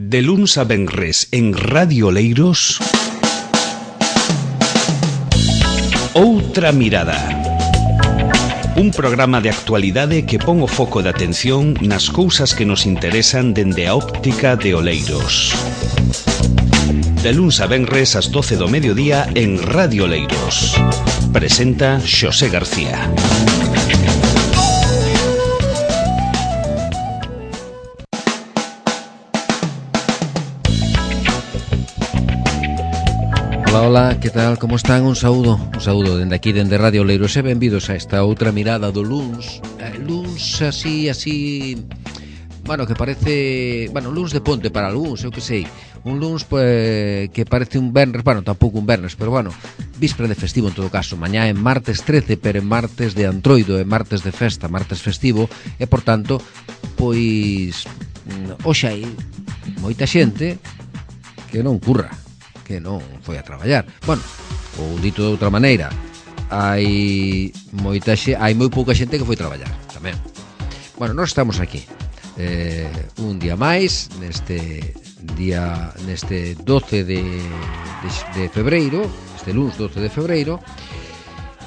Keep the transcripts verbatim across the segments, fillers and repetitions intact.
De luns a venres en Radio Oleiros, Outra Mirada. Un programa de actualidade que pon o foco de atención nas cousas que nos interesan dende a óptica de Oleiros. De luns a venres ás doce do mediodía en Radio Oleiros. Presenta Xosé García. Hola, hola, que tal, como están? Un saúdo, un saúdo dende aquí, dende Radio Oleiros e benvidos a esta outra mirada do luns. eh, Luns así, así, bueno, que parece, bueno, luns de ponte para algúns, eu que sei. Un luns pues, que parece un venres, bueno, tampouco un venres, pero bueno, víspera de festivo en todo caso. Mañá é martes trece, pero é martes de Antroido, é martes de festa, martes festivo. E, por tanto, pois, hoxe hai moita xente que non curra, que non foi a traballar. Bueno, ou dito de outra maneira, hai moita xe, hai moi pouca xente que foi traballar tamén. Bueno, nós estamos aquí eh, un día máis neste día, neste doce de, de, de febreiro, este luns doce de febreiro,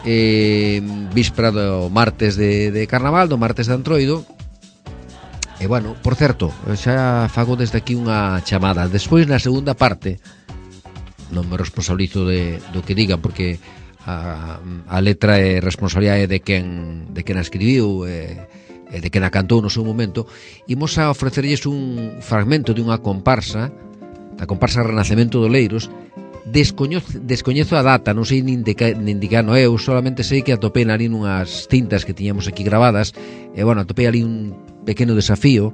eh, víspera do martes de, de Carnaval, do martes de Antroido. E bueno, por certo, xa fago desde aquí unha chamada. Despois, na segunda parte, non me responsabilizo de, do que digan, porque a, a letra é responsabilidade de quen, de quen a escribiu e, e de quen a cantou no seu momento. Imos a ofrecerlles un fragmento de unha comparsa, da comparsa Renacemento de Oleiros. Descoñezo, descoñezo a data, non sei nin de que no eu, solamente sei que atopei ali nunhas cintas que tiñamos aquí grabadas. E bueno, atopei ali un pequeno desafío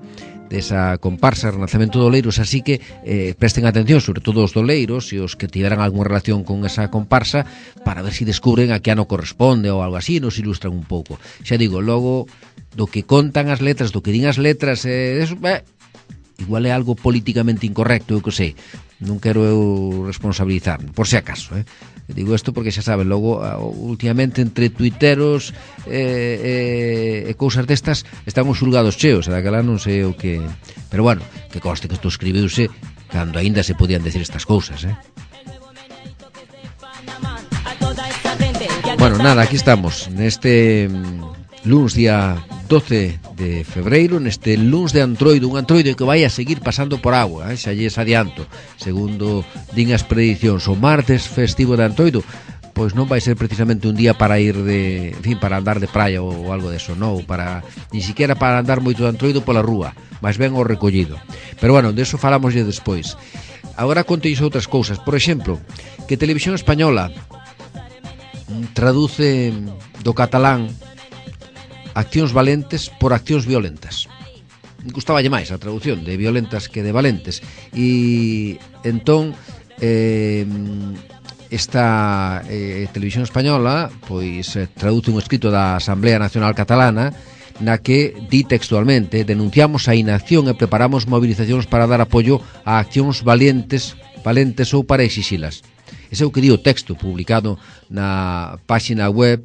desa comparsa Renacemento de Oleiros, así que eh, presten atención, sobre todo os doleiros e os que tiveran algunha relación con esa comparsa, para ver se si descubren a que ano corresponde ou algo así, nos ilustran un pouco. Xa digo, logo do que contan as letras, do que din as letras, eh, eso, eh, igual é algo políticamente incorrecto, eu que sei. Non quero eu responsabilizarme, por se acaso, eh? Digo isto porque xa saben, logo últimamente entre tuiteros e, e, e cousas destas están os xulgados cheos, daquela non sei o que, pero bueno, que conste que isto escribiuse cando aínda se podían decir estas cousas, eh? Bueno, nada, aquí estamos neste luns día doce de febreiro, neste luns de Antroido, un Antroido que vai a seguir pasando por agua, eh? Xa lles adianto, segundo din as predicións. O martes festivo de Antroido pois non vai ser precisamente un día para ir de, en fin, para andar de praia ou algo deso, non, para, ni siquiera para andar moito de Antroido pola rúa, máis ben o recollido. Pero bueno, deso falamos ya despois. Agora conteis outras cousas, por exemplo, que Televisión Española traduce do catalán accións valentes por accións violentas. Gustaballe máis a traducción de violentas que de valentes. E entón eh, esta eh, Televisión Española pois eh, traduce un escrito da Asamblea Nacional Catalana na que di textualmente: denunciamos a inacción e preparamos movilizacións para dar apoio a accións valentes, valentes ou para exixilas. Ese é o que di o texto publicado na páxina web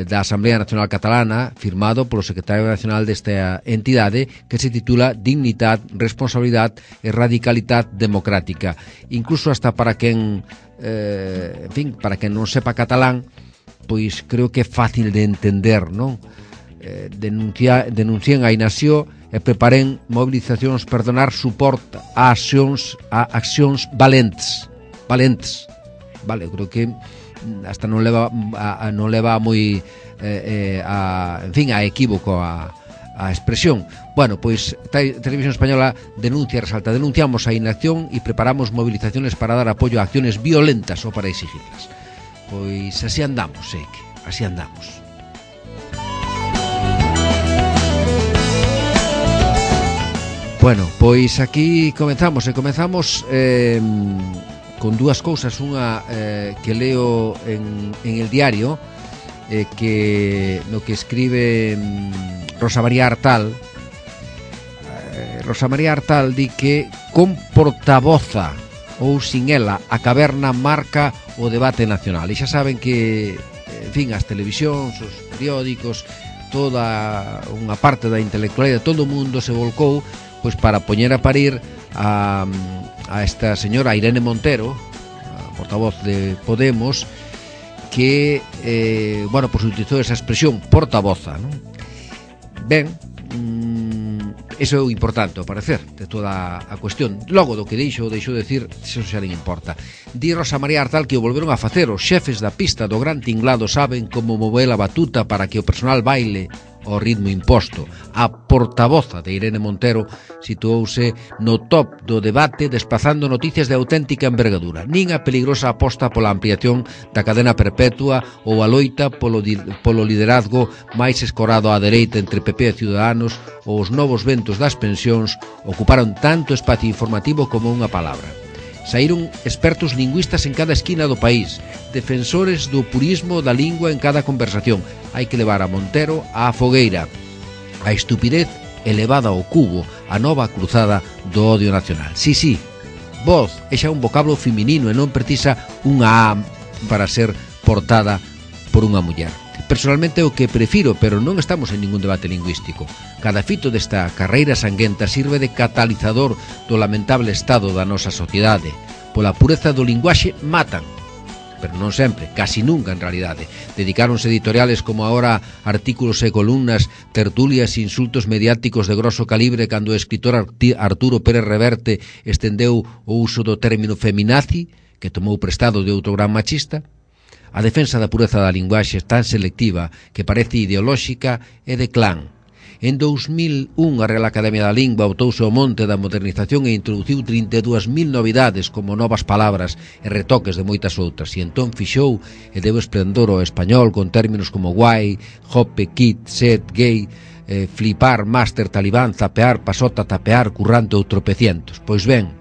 da Asamblea Nacional Catalana, firmado polo secretario nacional desta entidade, que se titula Dignidad, Responsabilidad e Radicalidad Democrática. Incluso hasta para quen eh, en fin, para quen non sepa catalán, pois creo que é fácil de entender, non? Eh, denuncia, denuncien a inacción e preparen movilizacións, perdonar, suporte a accións, a accións valentes, valentes. Vale, eu creo que hasta non leva a, a, non leva moi eh, eh, a, en fin, a equívoco a, a expresión. Bueno, pois Televisión Española denuncia, resalta: denunciamos a inacción e preparamos movilizaciones para dar apoio a acciones violentas ou para exigirlas. Pois así andamos, eh, así andamos. Bueno, pois aquí comenzamos e comenzamos eh, con dúas cousas. Unha eh, que leo en, en el diario, eh, que no que escribe mm, Rosa María Artal. eh, Rosa María Artal di que con portavoza ou sin ela a caverna marca o debate nacional. E xa saben que, en fin, as televisións, os periódicos, toda unha parte da intelectualidade, todo o mundo se volcou pois para poñer a parir a, a esta señora Irene Montero, a portavoz de Podemos, que, eh, bueno, pues utilizou esa expresión portavoza, non? Ben, mmm, eso é o importante, ao parecer, de toda a cuestión. Logo do que deixo, deixo de decir, eso xa non importa. Di Rosa María Artal que o volveron a facer. Os xefes da pista do Gran Tinglado saben como mover a batuta para que o personal baile ao ritmo imposto. A portavoza de Irene Montero situouse no top do debate, desplazando noticias de auténtica envergadura. Nin a peligrosa aposta pola ampliación da cadena perpetua ou a loita polo, polo liderazgo máis escorado á dereita entre P P e Ciudadanos ou os novos ventos das pensións ocuparon tanto espacio informativo como unha palabra. Saíron expertos lingüistas en cada esquina do país, defensores do purismo da lingua en cada conversación. Hai que levar a Montero á fogueira, a estupidez elevada ao cubo, a nova cruzada do odio nacional. Sí, sí, voz é xa un vocablo feminino e non precisa unha A para ser portada por unha muller. Personalmente é o que prefiro, pero non estamos en ningún debate lingüístico. Cada fito desta carreira sanguenta sirve de catalizador do lamentable estado da nosa sociedade. Pola pureza do linguaxe matan, pero non sempre, casi nunca en realidade. Dedicáronse editoriales como agora artículos e columnas, tertulias e insultos mediáticos de grosso calibre cando o escritor Arturo Pérez Reverte estendeu o uso do término feminazi, que tomou prestado de outro gran machista. A defensa da pureza da linguaxe é tan selectiva que parece ideolóxica e de clan. En dous mil un, a Real Academia da Lingua botouse ao monte da modernización e introduciu trinta e dúas mil novidades como novas palabras e retoques de moitas outras, e entón fixou e deu esplendor ao español con términos como guai, jope, kit, set, gay, eh, flipar, máster, talibán, zapear, pasota, tapear, currante ou tropecientos. Pois ben,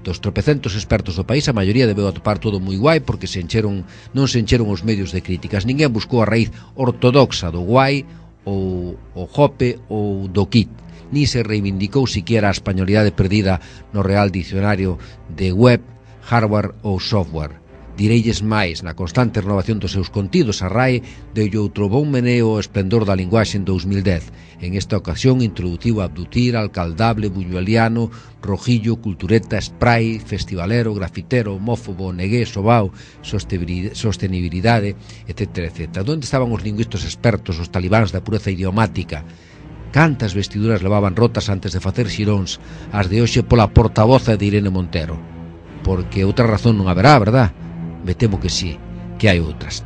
dos tropecentos expertos do país, a maioría debeu atopar todo moi guai porque se encheron, non se encheron os medios de críticas. Ninguén buscou a raíz ortodoxa do guai ou o jope ou do kit, ni se reivindicou siquiera a españolidade perdida no Real Dicionario de web, hardware ou software. Direilles máis, na constante renovación dos seus contidos, a R A E deulle outro bon meneo ao esplendor da linguaxe en dous mil dez. En esta ocasión introduciu abdutir, alcaldable, buñueliano, rojillo, cultureta, spray, festivalero, grafitero, homófobo, negué, sobao, sostenibilidade, etcétera, etcétera. Donde estaban os lingüistas expertos, os talibáns da pureza idiomática? Cantas vestiduras levaban rotas antes de facer xiróns, as de hoxe pola portavoza de Irene Montero? Porque outra razón non haberá, verdad? Me temo que sí, que hai outras,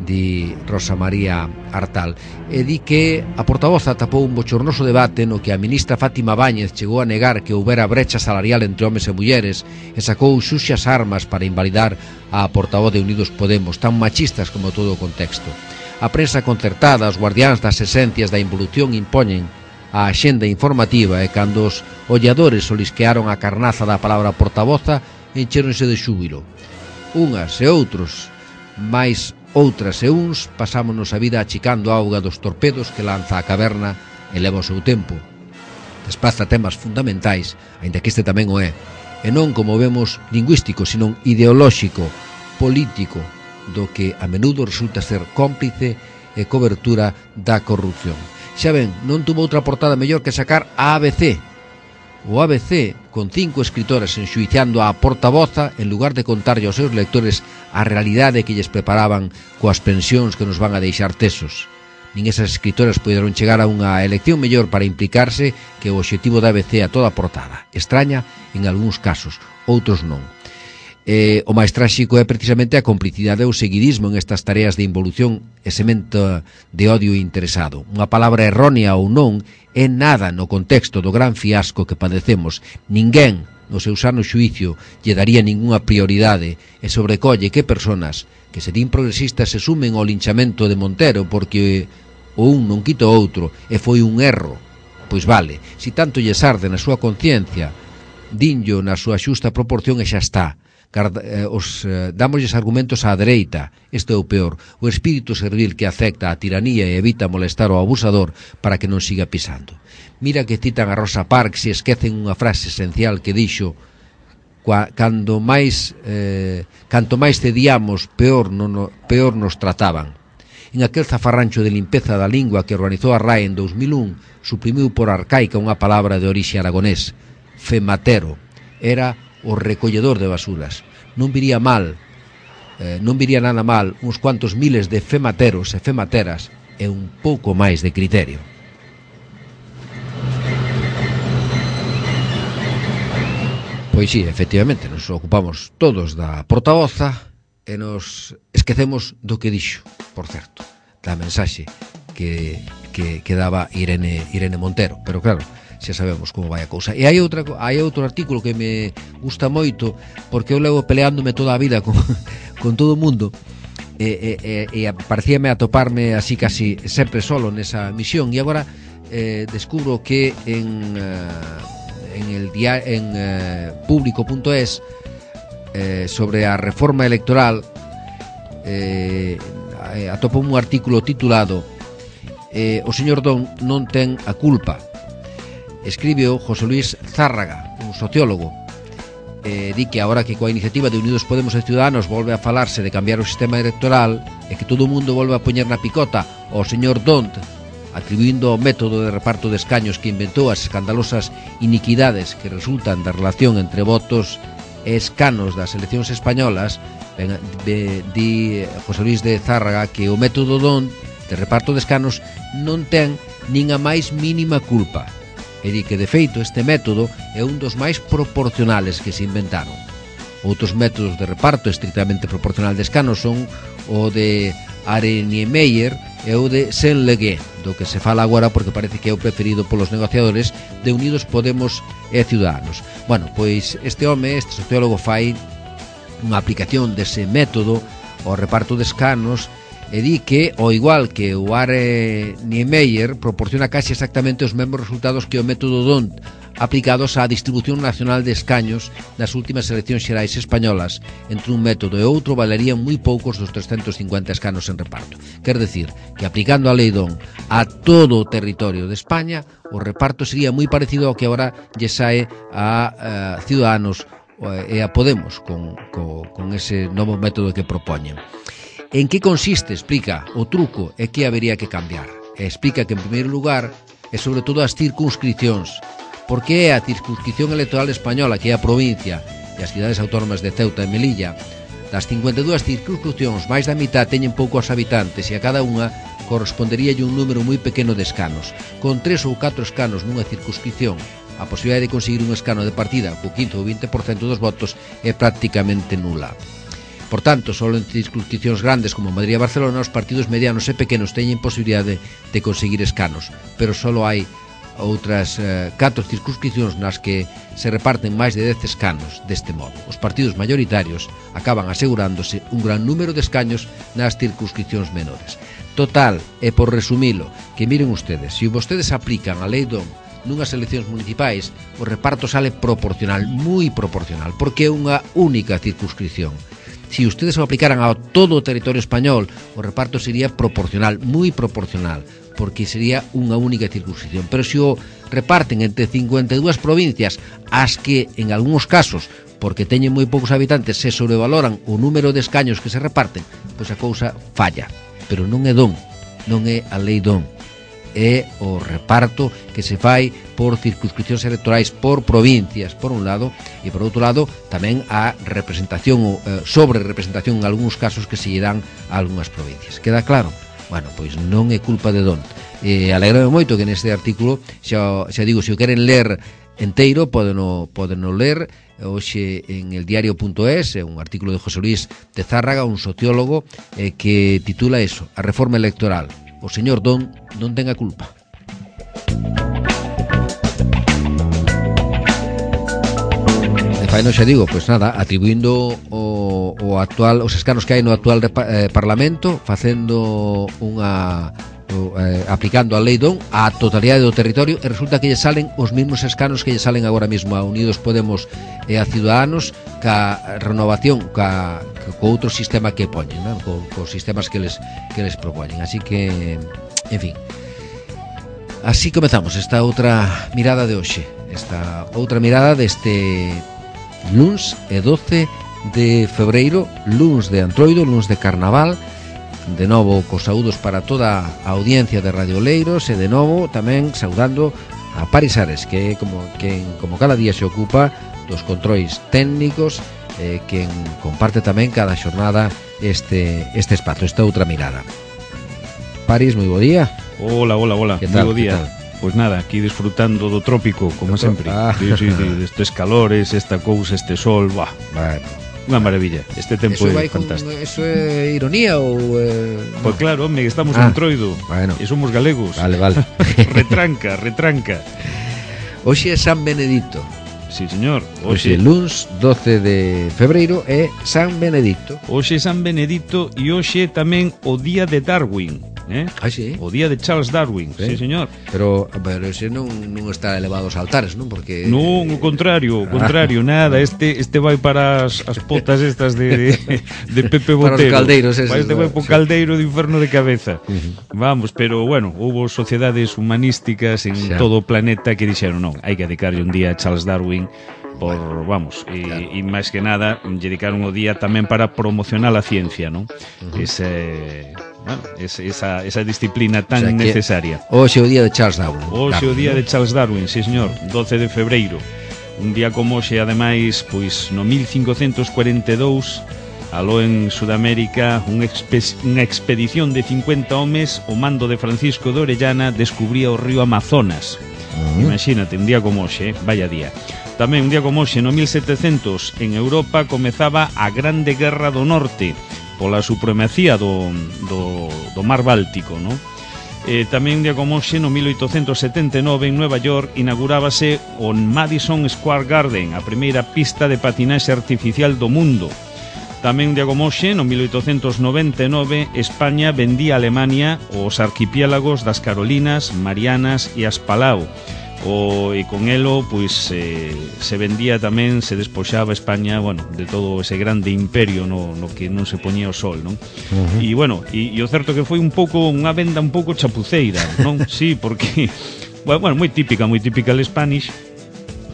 di Rosa María Artal. E di que a portavoza tapou un bochornoso debate no que a ministra Fátima Báñez chegou a negar que houbera brecha salarial entre homes e mulleres e sacou xuxas armas para invalidar a portavoz de Unidos Podemos, tan machistas como todo o contexto. A prensa concertada, os guardiáns das esencias da involución impoñen a axenda informativa e cando os olladores olisquearon a carnaza da palabra portavoza encheronse de xúbilo. Unhas e outros, máis outras e uns, pasámonos a vida achicando a auga dos torpedos que lanza a caverna e leva o seu tempo. Desplaza temas fundamentais, aínda que este tamén o é, e non como vemos lingüístico, sino ideolóxico, político, do que a menudo resulta ser cómplice e cobertura da corrupción. Xa ven, non tuvo outra portada mellor que sacar a A B C, o A B C, con cinco escritoras enxuiciando a portavoza en lugar de contarlle aos seus lectores a realidade que lles preparaban coas pensións que nos van a deixar tesos. Nin esas escritoras puderon chegar a unha elección mellor para implicarse que o obxectivo da A B C a toda portada. Extraña en algúns casos, outros non. Eh, o máis tráxico é precisamente a complicidade ou seguidismo en estas tareas de involución e semento de odio interesado. Unha palabra errónea ou non é nada no contexto do gran fiasco que padecemos. Ninguén, no seu sano xuicio, lle daría ningunha prioridade e sobrecolle que personas que se din progresistas se sumen ao linchamento de Montero porque o un non quita o outro e foi un erro. Pois vale, si tanto lles arde na súa conciencia, dinllo na súa xusta proporción e xa está. Os eh, dámosles argumentos á dereita. Isto é o peor, o espírito servil que acepta a tiranía e evita molestar ao abusador para que non siga pisando. Mira que citan a Rosa Parks e esquecen unha frase esencial que dixo: cando máis eh, canto máis cedíamos, peor, non, peor nos trataban. En aquel zafarrancho de limpeza da lingua que organizou a R A E en dous mil un, suprimiu por arcaica unha palabra de orixe aragonés. fematero, era o recolledor de basuras. Non viría mal, eh, non viría nada mal uns cuantos miles de femateros e femateras e un pouco máis de criterio. Pois sí, efectivamente, nos ocupamos todos da portavoza e nos esquecemos do que dixo, por certo, da mensaxe que, que, que daba Irene, Irene Montero. Pero claro, xa sabemos como vai a cousa. E hai, outra, hai outro artículo que me gusta moito, porque eu levo peleándome toda a vida con, con todo o mundo, e, e, e parecíame atoparme así casi sempre solo nesa misión, e agora eh, descubro que en... Uh, en el dia, en eh, público punto es eh, sobre a reforma electoral eh, atopo un artículo titulado eh, O señor Don non ten a culpa. Escribeo José Luis Zárraga, un sociólogo. Eh, di que agora que coa iniciativa de Unidos Podemos e Ciudadanos volve a falarse de cambiar o sistema electoral e que todo o mundo volve a poñer na picota ao señor Don, atribuindo ao método de reparto de escaños que inventou as escandalosas iniquidades que resultan da relación entre votos e escanos das eleccións españolas, ben, be, di José Luis de Zárraga que o método Don de reparto de escanos non ten nin a máis mínima culpa, e di que de feito este método é un dos máis proporcionales que se inventaron. Outros métodos de reparto estrictamente proporcional de escanos son o de Areniemeyer e o de Senlegué, do que se fala agora porque parece que é o preferido polos negociadores de Unidos Podemos e Ciudadanos. Bueno, pois este home, este sociólogo, fai unha aplicación dese método ao reparto de escanos e di que, ao igual que o Areniemeyer, proporciona casi exactamente os mesmos resultados que o método Don aplicados á distribución nacional de escaños nas últimas eleccións xerais españolas. Entre un método e outro valerían moi poucos dos trescentos cincuenta escanos en reparto. Quer decir, que aplicando a lei Don a todo o territorio de España, o reparto sería moi parecido ao que agora lle sae a, a Ciudadanos e a Podemos con, con, con ese novo método que propoñen. En que consiste, explica, o truco e que habería que cambiar. E explica que, en primeiro lugar, é sobre todo as circunscripcións, porque é a circunscripción electoral española, que é a provincia e as cidades autónomas de Ceuta e Melilla. Das cincuenta e dúas circunscripcións, máis da mitad teñen poucos habitantes e a cada unha correspondería un número moi pequeno de escanos. Con tres ou catro escanos nunha circunscripción, a posibilidade de conseguir un escano de partida co quince ou vinte por cento dos votos é prácticamente nula. Por tanto, só en circunscripcións grandes como Madrid e Barcelona, os partidos medianos e pequenos teñen posibilidade de conseguir escanos, pero só hai outras eh, catro circunscripcións nas que se reparten máis de dez escanos. Deste modo, os partidos mayoritarios acaban asegurándose un gran número de escaños nas circunscripcións menores. Total, e por resumilo, que miren ustedes, se vostedes aplican a lei Don nunhas eleccións municipais, o reparto sale proporcional, moi proporcional, porque é unha única circunscripción. Se ustedes o aplicaran a todo o territorio español, o reparto sería proporcional, moi proporcional, porque sería unha única circunscripción. Pero se o reparten entre cincuenta e dúas provincias, as que, en algúns casos, porque teñen moi poucos habitantes, se sobrevaloran o número de escaños que se reparten, pois a cousa falla. Pero non é Don, non é a lei Don, é o reparto que se fai por circunscripcións electorais por provincias, por un lado, e por outro lado tamén a representación ou eh, sobre representación en algúns casos que se lle dan a algunhas provincias. Queda claro? Bueno, pois non é culpa de Don. E alegrame moito que neste artículo, xa, xa digo, se o queren ler enteiro, podeno, podeno ler hoxe en el diario punto es, un artículo de José Luis de Zárraga, un sociólogo, eh, que titula eso, a reforma electoral. O señor Don non ten a culpa. E fai, non xa digo, pois nada, atribuindo o, o actual, os escanos que hai no actual eh, Parlamento, facendo unha o, eh, aplicando a lei Don á totalidade do territorio, e resulta que lle salen os mesmos escanos que lle salen agora mesmo a Unidos Podemos e a Ciudadanos, ca renovación, ca, ca co outro sistema que poñen, non? Co, co sistemas que les que les propoñen. Así que, en fin, así comezamos esta outra mirada de hoxe, esta outra mirada deste luns e doce de febreiro, luns de Antroido, luns de Carnaval. De novo, cos saúdos para toda a audiencia de Radio Oleiros, e de novo tamén saudando a Paris Ares, que é como, quen, como cada día se ocupa dos controis técnicos, eh, quen comparte tamén cada xornada este, este espazo, esta outra mirada. Paris, moi bo día. Hola, hola, hola, moi bo día. Pois pues nada, aquí disfrutando do trópico, como sempre. Ah. Sí, sí, sí, estes calores, esta cousa, este sol, buah. Bueno, unha maravilla, este tempo é fantástico. Con, eso é ironía ou... Eh, pois pues claro, home, estamos ah, en Troido, bueno. E somos galegos. Vale, vale. Retranca, retranca. Hoxe é San Benedito. Sí, señor. Hoxe, luns doce de febreiro é San Benedito. Hoxe é San Benedito e hoxe tamén o día de Darwin, eh? Ah, sí? O día de Charles Darwin, sí, sí señor. Pero, pero ese non, non está elevado aos altares, non? Porque... Non, o contrario, o contrario, ah. nada, este este vai para as, as potas estas de, de, de Pepe Botero. Para os caldeiros eses. Este vai para o caldeiro de inferno de cabeza. Uh-huh. Vamos, pero bueno, houve sociedades humanísticas en xa. todo o planeta que dixeron non, hai que dedicarlle un día a Charles Darwin por, vamos, e, claro. e máis que nada dedicaron o día tamén para promocionar a ciencia, non? Uh-huh. Ese... Bueno, esa, esa disciplina tan o sea necesaria. Hoxe o día de Charles Darwin. Hoxe o día de Charles Darwin, sí señor, doce de febreiro. Un día como hoxe, ademais, pois no mil cincocentos cuarenta e dous, aló en Sudamérica, unha un expedición de cincuenta homes, o mando de Francisco de Orellana, descubría o río Amazonas. Uh-huh. Imagínate, un día como hoxe, vaya día. Tamén un día como hoxe, no mil setecentos, en Europa comezaba a Grande Guerra do Norte, pola supremacía do, do, do mar Báltico, non? Eh, tamén un día como hoxe, no mil oitocentos setenta e nove, en Nueva York, inaugurábase o Madison Square Garden, a primeira pista de patinaxe artificial do mundo. Tamén un día como hoxe, no mil oitocentos noventa e nove, España vendía a Alemania os arquipiélagos das Carolinas, Marianas e as Palau. O, e con elo, pois, eh, se vendía tamén, se despoxaba España, bueno, de todo ese grande imperio no, no que non se poñía o sol, non? Uh-huh. E, bueno, e, e o certo que foi un pouco, unha venda un pouco chapuceira, non? Sí, porque, bueno, moi típica, moi típica el Spanish,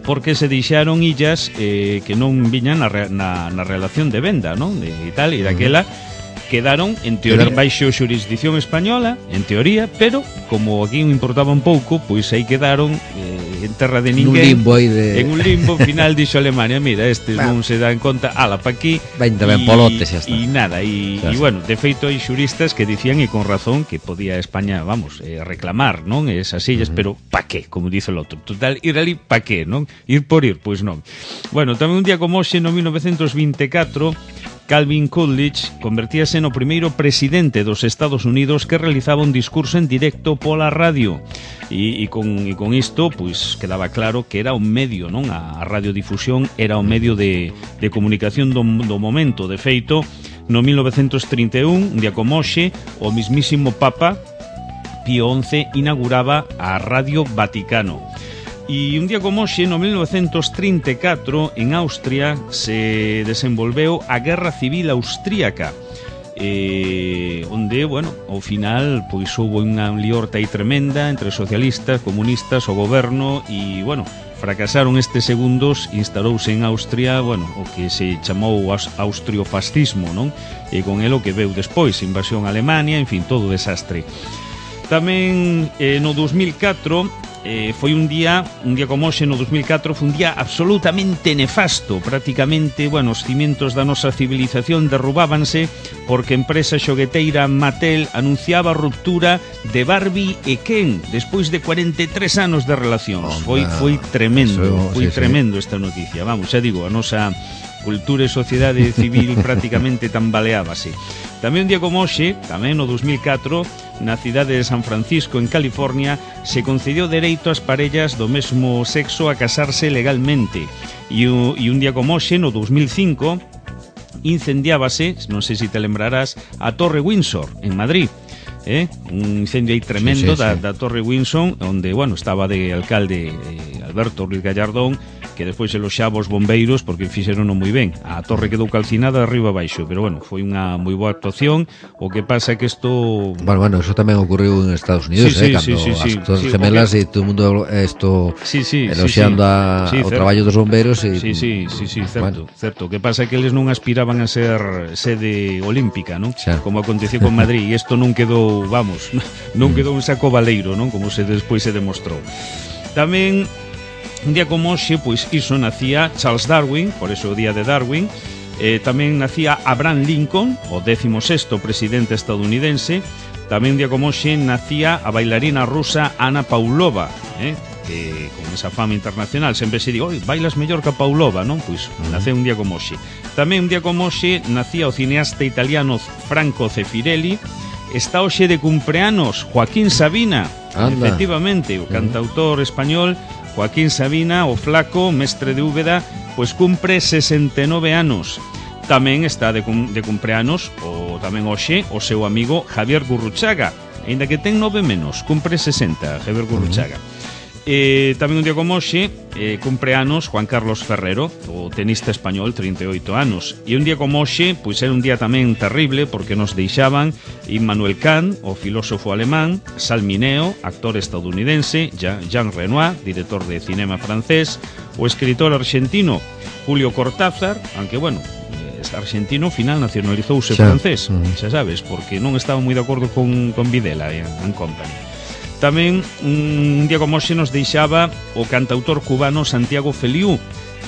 porque se deixaron illas eh, que non viñan na, na, na relación de venda, non? De, e tal, e daquela... Uh-huh. Quedaron, en teoría, baixo xurisdicción española, en teoría, pero como aquí importaba un pouco, pois aí quedaron eh, en terra de ninguén. En un limbo aí de... En un limbo, final dixo Alemania, mira, estes bah. non se dan conta, ala, pa aquí. veinte ben polotes, xa está. E nada, e bueno, de feito hai xuristas que dicían, e con razón, que podía España, vamos, eh, reclamar, non? Esas illas, uh-huh. pero pa qué, como dice o outro. Total, ir ali, pa qué, non? Ir por ir, pois non. Bueno, tamén un día como hoxe, no mil novecientos vinte e catro, Calvin Coolidge convertíase no primeiro presidente dos Estados Unidos que realizaba un discurso en directo pola radio. E, e, con, e con isto, pois, quedaba claro que era un medio, non? A radiodifusión era un medio de, de comunicación do, do momento. De feito, no mil novecientos trinta e un, un día como hoxe, o mismísimo Papa Pío once inauguraba a Radio Vaticano. E un día como hoxe, no mil novecientos trinta e catro, en Austria se desenvolveu a Guerra Civil Austríaca, eh, onde, bueno, ao final, pois houve unha liorta aí tremenda entre socialistas, comunistas, o goberno, e, bueno, fracasaron estes segundos, instalouse en Austria, bueno, o que se chamou austriofascismo, non? E con elo que veu despois, invasión a Alemania, en fin, todo desastre. Tamén, eh, no dos mil catro... Eh, foi un día, un día como hoxe no dos mil catro, foi un día absolutamente nefasto. Prácticamente, bueno, os cimientos da nosa civilización derrubábanse porque a empresa xogueteira Mattel anunciaba a ruptura de Barbie e Ken despois de cuarenta e tres anos de relacións. Oh, foi, foi tremendo, eso, foi sí, tremendo sí. esta noticia. Vamos, xa digo, a nosa cultura e sociedade civil prácticamente tambaleábase. Tamén un día como hoxe, tamén no dos mil catro, na cidade de San Francisco, en California, se concedió dereito ás parellas do mesmo sexo a casarse legalmente. E, e un día como hoxe, no dos mil cinco, incendiábase, non sei se te lembrarás, a Torre Windsor, en Madrid. Eh? Un incendio aí tremendo sí, sí, da, sí. da Torre Windsor, onde, bueno, estaba de alcalde eh, Alberto Ruiz Gallardón, que despois eloxaba os bombeiros porque fixerono moi ben. A torre quedou calcinada de arriba abaixo, pero bueno, foi unha moi boa actuación. O que pasa é que isto... Bueno, bueno, eso tamén ocurriu en Estados Unidos, sí, eh, sí, cando sí, sí, as Torres sí, Gemelas okay. e todo o mundo esto sí, sí, eloxando sí, sí. Sí, o traballo dos bombeiros e... Sí, sí, sí, sí, certo, bueno. certo. O que pasa é que eles non aspiraban a ser sede olímpica, non? Xa. Como aconteceu con Madrid, e isto non quedou, vamos, non quedou un saco baleiro, non? Como se despois se demostrou. Tamén un día como hoxe, pois iso nacía Charles Darwin, por eso o día de Darwin. eh, Tamén nacía Abraham Lincoln, o décimo sexto presidente estadounidense. Tamén un día como hoxe nacía a bailarina rusa Ana Pavlova, eh? que con esa fama internacional sempre se di, oi, bailas mellor que a Pavlova, non? Pois naceu un día como hoxe. Tamén un día como hoxe nacía o cineasta italiano Franco Zeffirelli. Está hoxe de cumpleanos Joaquín Sabina. Anda. Efectivamente, o cantautor español Joaquín Sabina, o flaco, mestre de Úbeda, pois cumpre sesenta e nove anos. Tamén está de, cum, de cumpleanos o tamén hoxe o seu amigo Javier Gurruchaga, aínda que ten nove menos, cumpre sesenta, Javier Gurruchaga. Uh-huh. Eh, tamén un día como hoxe eh, cumpleanos Juan Carlos Ferrero, o tenista español, trinta e oito anos. E un día como hoxe, pois era un día tamén terrible, porque nos deixaban Immanuel Kant, o filósofo alemán, Salmineo, actor estadounidense, Jean Renoir, director de cinema francés, o escritor argentino Julio Cortázar, aunque bueno, argentino, final nacionalizouse francés, xa sabes, porque non estaba moi de acordo con, con Videla e en company. Tamén un día como hoxe nos deixaba o cantautor cubano Santiago Feliú,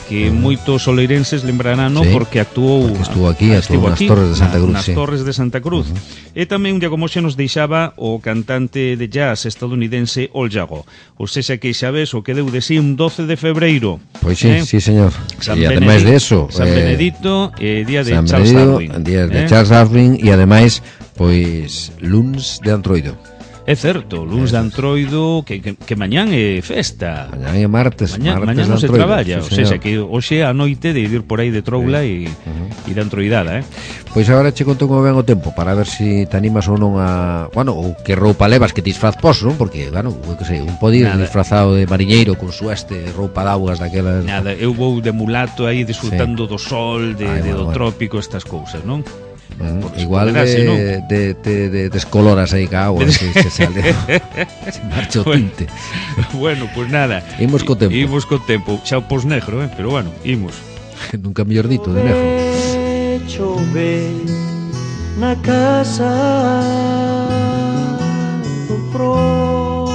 que moitos oleirenses lembrarán, no, sí, porque actuou porque estuvo aquí, estuvo nas Torres de Santa Cruz, nas sí. Torres de Santa Cruz. Uh-huh. E tamén un día como hoxe nos deixaba o cantante de jazz estadounidense Al Jarreau. Ou sexa que xa ves o que deu de sí un doce de febreiro. Pois sí, eh? sí, señor. San e ademais de eso, San eh, Benedito, eh, día de San Charles Benedito, Darwin. Día de eh? Charles Darwin e ademais, pois, luns de Antroido. É certo, luns de Antroido, que, que, que mañán é festa. Mañán é martes, mañán, martes mañán non se traballa, sí, o sea, que hoxe a noite de ir por aí de troula e, sí. uh-huh. e de antroidada, eh? Pois agora che conto como ven o tempo, para ver se si te animas ou non a... Bueno, ou que roupa levas, que disfraz poso, non? Porque, bueno, que sei, un pode ir Nada. disfrazado de mariñeiro con sueste, roupa de augas daquelas... Nada, eu vou de mulato aí disfrutando sí. do sol, de, Ay, de bueno, do bueno. trópico, estas cousas, non? Bueno, igual de, ¿no? de, de, de descoloras aí ca agua, se, se sale se marcha o tinte. Bueno, pues nada, imos co tempo. Imos co tempo, xa o pos negro, eh? Pero bueno, imos. Nunca mellor dito, de negro. Chove na casa do prove.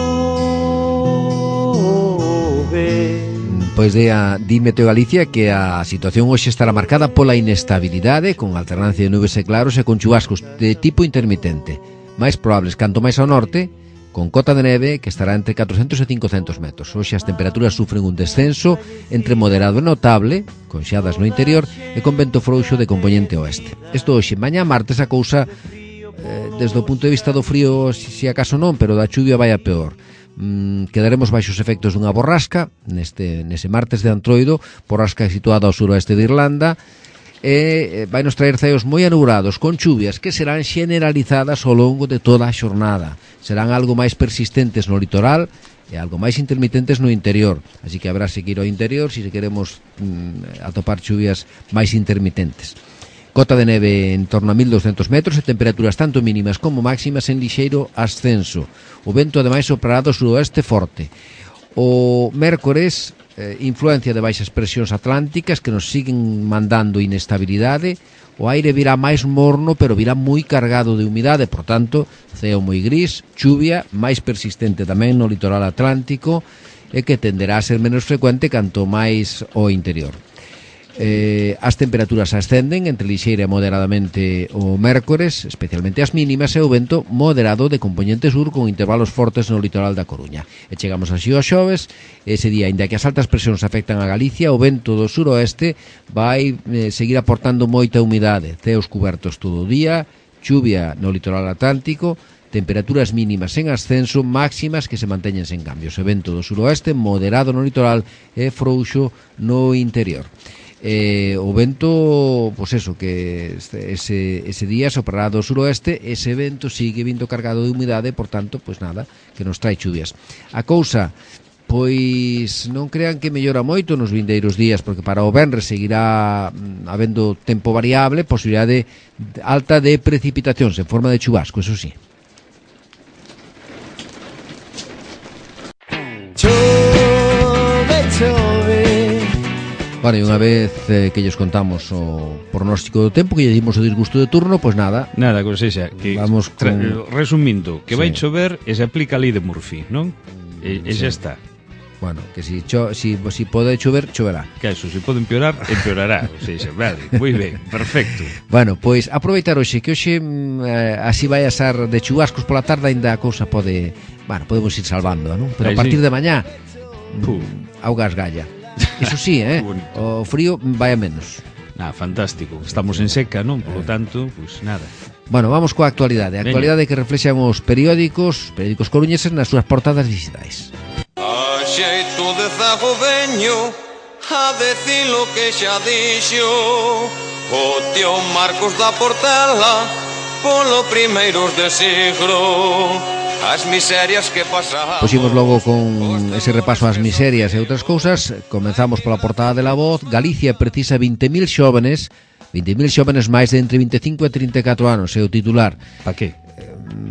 Pois de a, di Meteo Galicia que a situación hoxe estará marcada pola inestabilidade, con alternancia de nubes e claros e con chubascos de tipo intermitente, máis probables canto máis ao norte, con cota de neve que estará entre catrocentos e cincocentos metros. Hoxe as temperaturas sufren un descenso entre moderado e notable, con xeadas no interior e con vento frouxo de componente oeste. Isto hoxe, mañá martes a cousa, eh, desde o punto de vista do frío, si, si acaso non, pero da chuvia vai a peor. Mm, quedaremos baixo os efectos dunha borrasca neste, nese martes de Antroido, borrasca situada ao suroeste de Irlanda, e vai nos traer ceos moi anubrados con chuvias que serán generalizadas ao longo de toda a xornada. Serán algo máis persistentes no litoral e algo máis intermitentes no interior, así que habrá seguir ao interior se queremos mm, atopar chuvias máis intermitentes. Cota de neve en torno a mil doscientos metros e temperaturas tanto mínimas como máximas en lixeiro ascenso. O vento ademais soprará do suroeste forte. O mércores, eh, influencia de baixas presións atlánticas que nos siguen mandando inestabilidade. O aire virá máis morno, pero virá moi cargado de humidade, por tanto, ceo moi gris, chuvia máis persistente tamén no litoral atlántico e que tenderá a ser menos frecuente canto máis ao interior. Eh, as temperaturas ascenden entre lixeira e moderadamente o mércores, especialmente as mínimas, e o vento moderado de componente sur con intervalos fortes no litoral da Coruña. E chegamos así ao xoves, ese día, inda que as altas presións afectan a Galicia, o vento do suroeste vai eh, seguir aportando moita humidade, ceos cubertos todo o día, chuvia no litoral atlántico, temperaturas mínimas en ascenso, máximas que se manteñen sen cambios. O vento do suroeste moderado no litoral e frouxo no interior. Eh, o vento, pois eso, que ese, ese día soprará do suroeste, ese vento sigue vindo cargado de humidade, por tanto, pois nada, que nos trae chuvias. A cousa, pois non crean que mellora moito nos vindeiros días, porque para o venres seguirá mm, habendo tempo variable, posibilidade alta de precipitacións en forma de chubasco, eso sí. Chove, chove. Bueno, e unha vez eh, que lles contamos o pronóstico do tempo, que lle dimos o disgusto de turno, pois nada. Nada, con sexa, que vamos con... tra- resumindo, que sí. vai chover e se aplica a lei de Murphy, non? E, e sí. xa está. Bueno, que si, cho, si, si pode chover, choverá. Que eso, se pode empeorar, empeorará. O sea, vale, moi ben, perfecto. Bueno, pois aproveitar hoxe, que hoxe eh, así vai a ser de chubascos pola tarde, ainda a cousa pode... Bueno, podemos ir salvando, non? Pero a partir de mañá, mm, augas galla. Iso sí, eh? O frío vai a menos. Ah, fantástico. Estamos en seca, non? Por lo tanto, pues nada. Bueno, vamos coa actualidade. A actualidade que reflexan os periódicos, periódicos coruñeses nas súas portadas digitais. A xeito de zago veño a decir lo que xa dixo o tío Marcos da Portela polo primeiros de siglo. As miserias que pasaban. Pois imos logo con ese repaso ás miserias e outras cousas. Comenzamos pola portada de La Voz. Galicia precisa vinte mil xóvenes, vinte mil xóvenes máis de entre vinte e cinco e trinta e catro anos, é o titular. Pa que?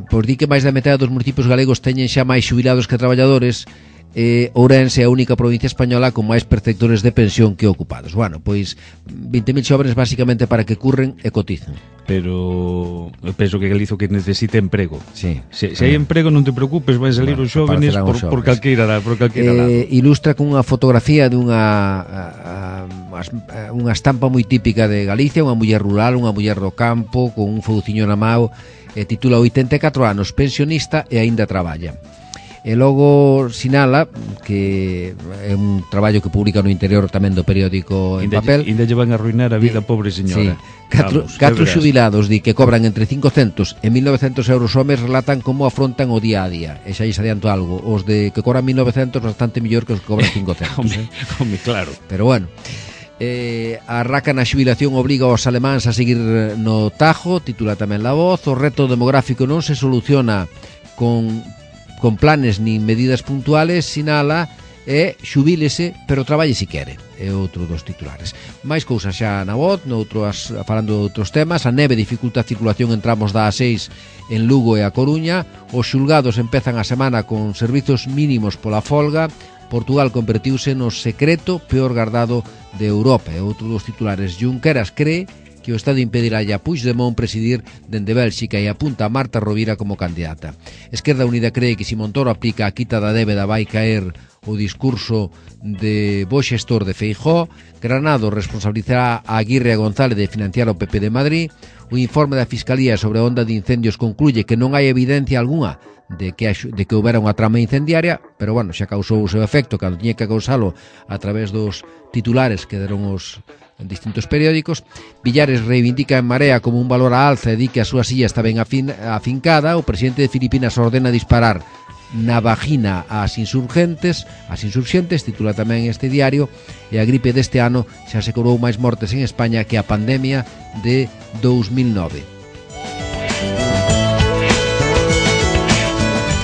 Pois di que máis da metade dos municipios galegos teñen xa máis xubilados que traballadores. Eh, Ourense é a única provincia española con máis perceptores de pensión que ocupados. Bueno, pois vinte mil xóvenes basicamente para que curren e coticen. Pero eu penso que Galizo que necesita emprego. Sí. Se, se hai emprego non te preocupes, vai salir bueno, os xóvenes por, por calqueira, por calqueira eh, lado. Ilustra con unha fotografía dunha a, a, a, unha estampa moi típica de Galicia, unha muller rural, unha muller do campo con un fouciño na mao, e titula oitenta e catro anos, pensionista e aínda traballa. E logo sinala que é un traballo que publica no interior tamén do periódico en inda, papel. Ainda lle van a arruinar a vida, pobre señora. Sí. Catro, Vamos, catro xubilados di que cobran entre cincocentos e mil novecentos euros ao mes relatan como afrontan o día a día. E xa lles adianto algo, os de que cobran mil novecentos bastante mellor que os que cobran cincocentos. Home, home, claro. Pero bueno, eh, a raca na xubilación obriga aos alemáns a seguir no tajo, titula tamén La Voz. O reto demográfico non se soluciona con con planes nin medidas puntuales, sinala, e xubílese, pero traballe si quere. É outro dos titulares. Máis cousas xa na Voz, noutros, falando de outros temas. A neve dificulta a circulación en tramos da A seis en Lugo e a Coruña. Os xulgados empezan a semana con servizos mínimos pola folga. Portugal convertiuse no secreto peor guardado de Europa. É outro dos titulares. Junqueras cree que o Estado impedirá a Puigdemont presidir dende Bélxica e apunta a Marta Rovira como candidata. Esquerda Unida cree que se Montoro aplica a quita da débeda vai caer o discurso de bo xestor de Feijóo. Granado responsabilizará a Aguirre e a González de financiar o P P de Madrid. O informe da Fiscalía sobre a onda de incendios concluye que non hai evidencia algunha de que, de que houbera unha trama incendiaria, pero bueno, xa causou o seu efecto cando tiña que causalo a través dos titulares que deron os en distintos periódicos. Villares reivindica en Marea como un valor a alza e di que a súa silla está ben afin, afincada. O presidente de Filipinas ordena disparar na vagina ás insurgentes, as insurxentes, titula tamén este diario. E a gripe deste ano xa se cobrou máis mortes en España que a pandemia de dous mil nove.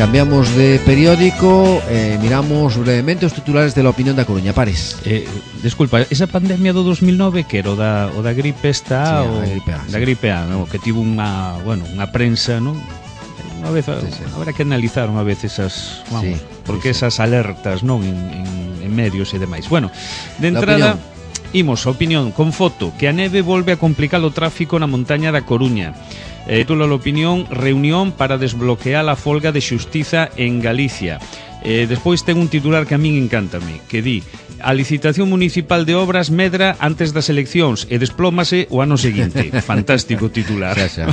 Cambiamos de periódico, eh, miramos brevemente os titulares de La Opinión da Coruña. Pares. Eh, desculpa, esa pandemia do dos mil nove que era o da, o da gripe esta, sí, o, da gripe A, da gripe A, no? Que tivo unha, bueno, unha prensa, non? Unha vez, sí, sí. Habrá que analizar unha vez esas, vamos, sí, porque sí, esas alertas, non, en, en, en medios e demais. Bueno, de entrada, imos a opinión con foto, que a neve volve a complicar o tráfico na montaña da Coruña. Eh, titula La Opinión, reunión para desbloquear a folga de xustiza en Galicia. Eh, despois ten un titular que a min encántame, que di: a licitación municipal de obras medra antes das eleccións e desplómase o ano seguinte. Fantástico titular. Xa, xa.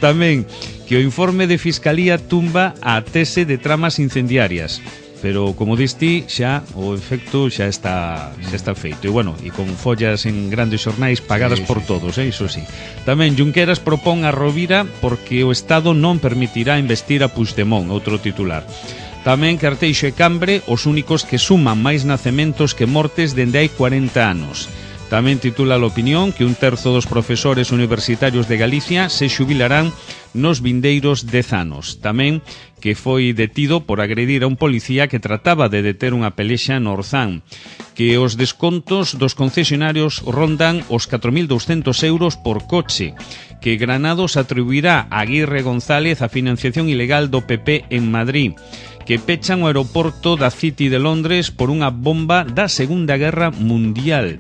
Tamén que o informe de Fiscalía tumba a tese de tramas incendiarias. Pero, como diste, xa o efecto xa está xa está feito. E, bueno, e con follas en grandes xornais pagadas sí, por sí, todos, eh, iso sí. Tamén Junqueras propón a Rovira porque o Estado non permitirá investir a Puigdemont, outro titular. Tamén que Arteixo e Cambre, os únicos que suman máis nacementos que mortes dende hai cuarenta anos. Tamén titula La Opinión que un terzo dos profesores universitarios de Galicia se xubilarán nos vindeiros dez anos. Tamén que foi detido por agredir a un policía que trataba de deter unha pelexa no Orzán. Que os descontos dos concesionarios rondan os catro mil douscentos euros por coche. Que Granados atribuirá a Aguirre González a financiación ilegal do P P en Madrid. Que pechan o aeroporto da City de Londres por unha bomba da Segunda Guerra Mundial.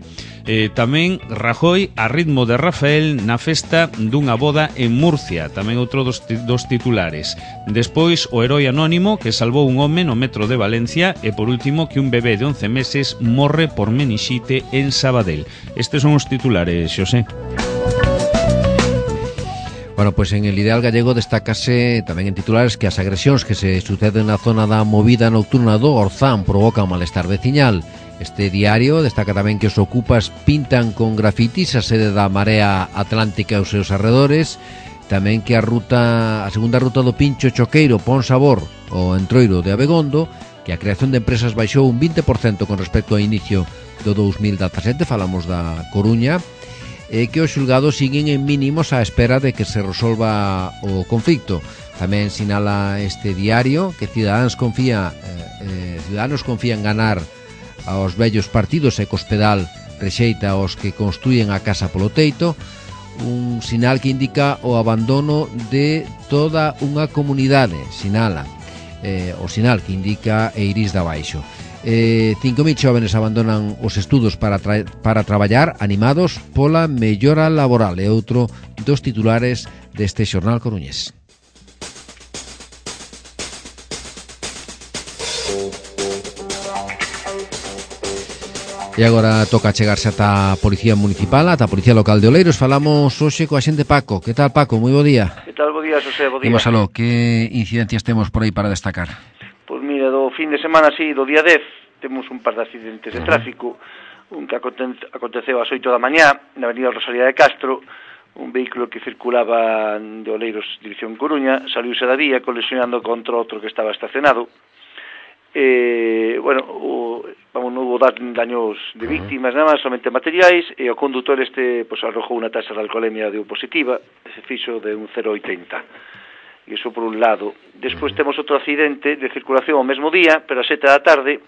Eh, tamén Rajoy a ritmo de Rafael na festa dunha boda en Murcia, tamén outro dos, dos titulares. Despois o heroi anónimo que salvou un home no metro de Valencia e por último que un bebé de once meses morre por menixite en Sabadell. Estes son os titulares, Xosé. Bueno, pois pues en el Ideal Gallego destácase tamén en titulares que as agresións que se suceden na zona da movida nocturna do Orzán provocan malestar veciñal. Este diario destaca tamén que os ocupas pintan con grafitis a sede da Marea Atlántica e os seus arredores, tamén que a ruta a segunda ruta do Pincho Choqueiro pon sabor ao entroiro de Abegondo, que a creación de empresas baixou un vinte por cento con respecto ao inicio do dous mil dezasete, falamos da Coruña, e que os xulgados siguen en mínimos á espera de que se resolva o conflicto. Tamén sinala este diario que Ciudadanos confía eh, eh, Ciudadanos confía en ganar aos vellos partidos e Cospedal rexeita aos que construyen a casa polo teito, un sinal que indica o abandono de toda unha comunidade, sinala, eh, o sinal que indica Eirís de Abaixo. Eh, cinco mil xóvenes abandonan os estudos para, tra para traballar animados pola mellora laboral, e outro dos titulares deste xornal coruñés. E agora toca chegarse ata a Policía Municipal, ata a Policía Local de Oleiros. Falamos hoxe coa xente Paco. Que tal, Paco? Moi bo día. Que tal, bo día, Xosé, bo día. Imos aló, que incidencias temos por aí para destacar? Pois mira, do fin de semana, sí, do día dez, temos un par de accidentes de tráfico, un que aconteceu ás oito da mañá, na avenida Rosalía de Castro, un vehículo que circulaba de Oleiros, dirección Coruña, saliuse da vía colisionando contra outro que estaba estacionado. Eh, bueno, o, vamos, non hubo daños de víctimas, nada máis, somente materiais, e o condutor este pues, arrojou unha taxa de alcoholemia de positiva, se fixo de un cero coma oitenta. E iso por un lado. Despois temos outro accidente de circulación ao mesmo día, pero a sete da tarde.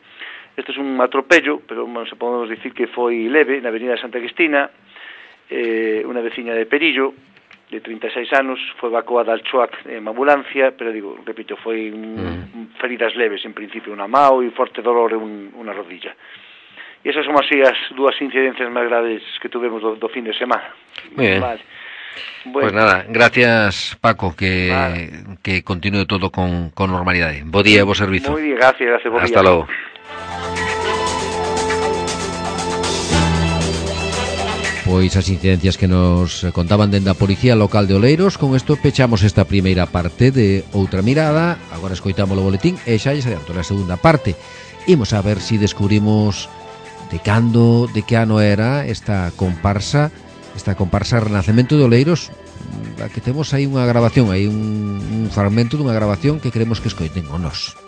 Este é un atropello, pero bueno, se podemos dicir que foi leve, na avenida Santa Cristina, eh, unha veciña de Perillo, de trinta e seis anos, foi evacuada al Choac en ambulancia, pero digo, repito, foi un, mm. feridas leves, en principio unha mao e forte dolor en unha rodilla. E esas son así as dúas incidencias máis graves que tuvemos do, do fin de semana. Muy bien. Vale. Bueno. Pues nada, gracias, Paco, que, vale. que continúe todo con, con normalidade. Bo día e bo servizo. Moi bien, gracias, gracias, bo día. Hasta logo. Pois as incidencias que nos contaban dende a Policía Local de Oleiros. Con isto pechamos esta primeira parte de Outra Mirada. Agora escoitamos o boletín e xa lles adianto a segunda parte. Imos a ver se si descubrimos de cando, de que ano era esta comparsa, esta comparsa Renacemento de Oleiros, a que temos aí unha grabación, aí un, un fragmento dunha grabación que queremos que escoiten o nos.